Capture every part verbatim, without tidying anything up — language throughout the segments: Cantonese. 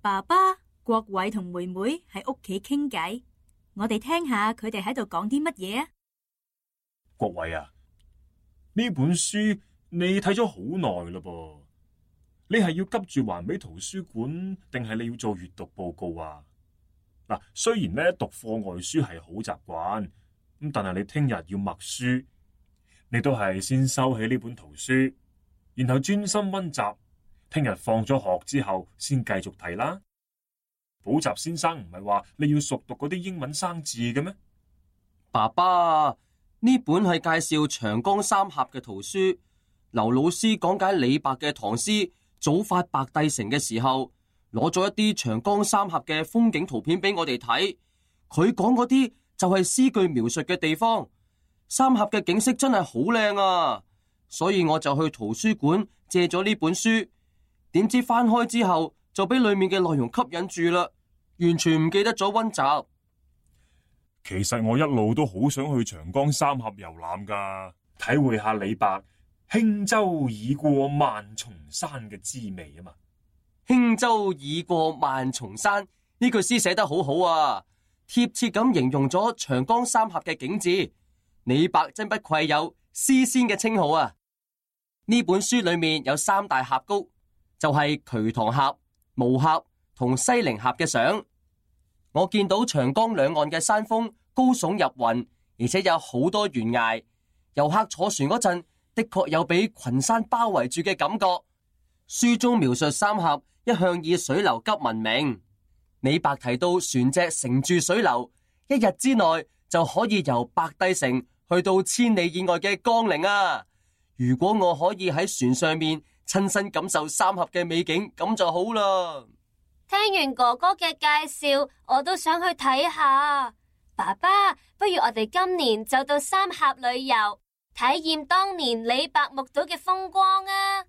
爸爸、國偉同妹妹喺屋企傾偈，我哋聽下佢哋喺度講啲乜嘢啊？國偉啊，呢本書你睇咗好耐嘞噃，你係要急住還俾圖書館，定係你要做閱讀報告啊？嗱，雖然咧讀課外書係好習慣，咁但係你聽日要默書，你都係先收起呢本圖書，然後專心溫習，聽日放咗學之後先繼續睇啦。補習先生唔係話你要熟讀嗰啲英文生字嘅咩？爸爸，呢本係介紹長江三峽嘅圖書。劉老師講解李白嘅唐詩《早發白帝城》嘅時候，攞咗一啲長江三峽嘅風景圖片俾我哋睇。佢講嗰啲就係詩句描述嘅地方。三峽嘅景色真係好靚啊，所以我就去圖書館借咗呢本書。點知翻開之後就俾裏面嘅內容吸引住啦，完全唔記得咗溫習。其實我一路都好想去長江三峽遊覽噶，體會下李白輕舟已過萬重山嘅滋味啊嘛。輕舟已過萬重山呢句詩寫得好好啊，貼切咁形容咗長江三峽嘅景致。李白真不愧有詩仙嘅稱號啊！呢本書裏面有三大峽谷，就係瞿塘峽、巫峽同西陵峽嘅相。我見到長江兩岸嘅山峰高聳入雲，而且有好多懸崖。遊客坐船嗰陣，的確有俾群山包圍住嘅感覺。書中描述三峽一向以水流急聞名。李白提到船隻乘住水流，一日之內就可以由白帝城去到千里以外嘅江陵啊！如果我可以喺船上面親身感受三峽嘅美景，咁就好啦。聽完哥哥嘅介紹，我都想去睇下。爸爸，不如我哋今年就到三峽旅遊，體驗當年李白目睹嘅風光啊！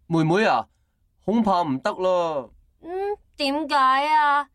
妹妹啊，恐怕唔得啦。嗯，點解啊？